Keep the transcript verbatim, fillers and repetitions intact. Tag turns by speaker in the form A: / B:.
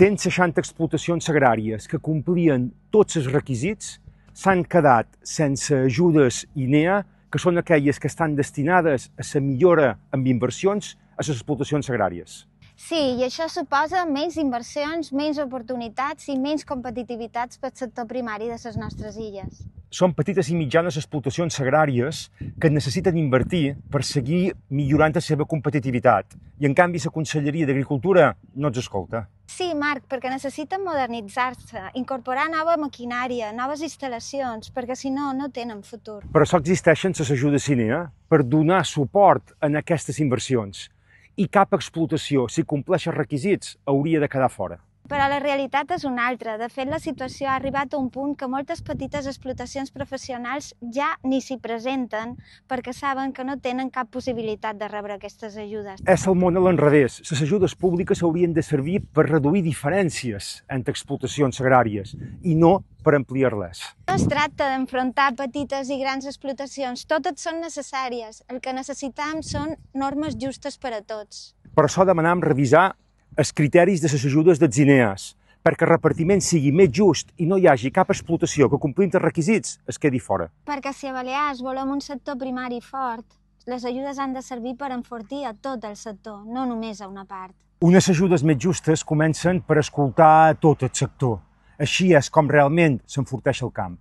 A: cent seixanta explotacions agràries que complien tots els requisits s'han quedat sense ajudes I N E A, que són aquelles que estan destinades a la millora amb inversions a les explotacions agràries.
B: Sí, i això suposa menys inversions, menys oportunitats i menys competitivitats pel sector primari de les nostres illes.
A: Són petites i mitjanes explotacions agràries que necessiten invertir per seguir millorant la seva competitivitat i, en canvi, la Conselleria d'Agricultura no els escolta.
B: Sí, Marc, perquè necessiten modernitzar-se, incorporar nova maquinària, noves instal·lacions, perquè si no, no tenen futur.
A: Per això existeixen les ajudes I N E A, per donar suport en aquestes inversions. I cap explotació, si compleix els requisits, hauria de quedar fora.
B: Però la realitat és una altra. De fet, la situació ha arribat a un punt que moltes petites explotacions professionals ja ni s'hi presenten perquè saben que no tenen cap possibilitat de rebre aquestes ajudes.
A: És el món a l'enrevés. Les ajudes públiques haurien de servir per reduir diferències entre explotacions agràries i no per ampliar-les.
B: No es tracta d'enfrontar petites i grans explotacions. Totes són necessàries. El que necessitam són normes justes per a tots.
A: Per això demanem revisar els criteris de les ajudes dels I N E As, perquè el repartiment sigui més just i no hi hagi cap explotació que, complint els requisits, es quedi fora.
B: Perquè si a Balears volem un sector primari fort, les ajudes han de servir per enfortir a tot el sector, no només a una part.
A: Unes ajudes més justes comencen per escoltar tot el sector. Així és com realment s'enforteix el camp.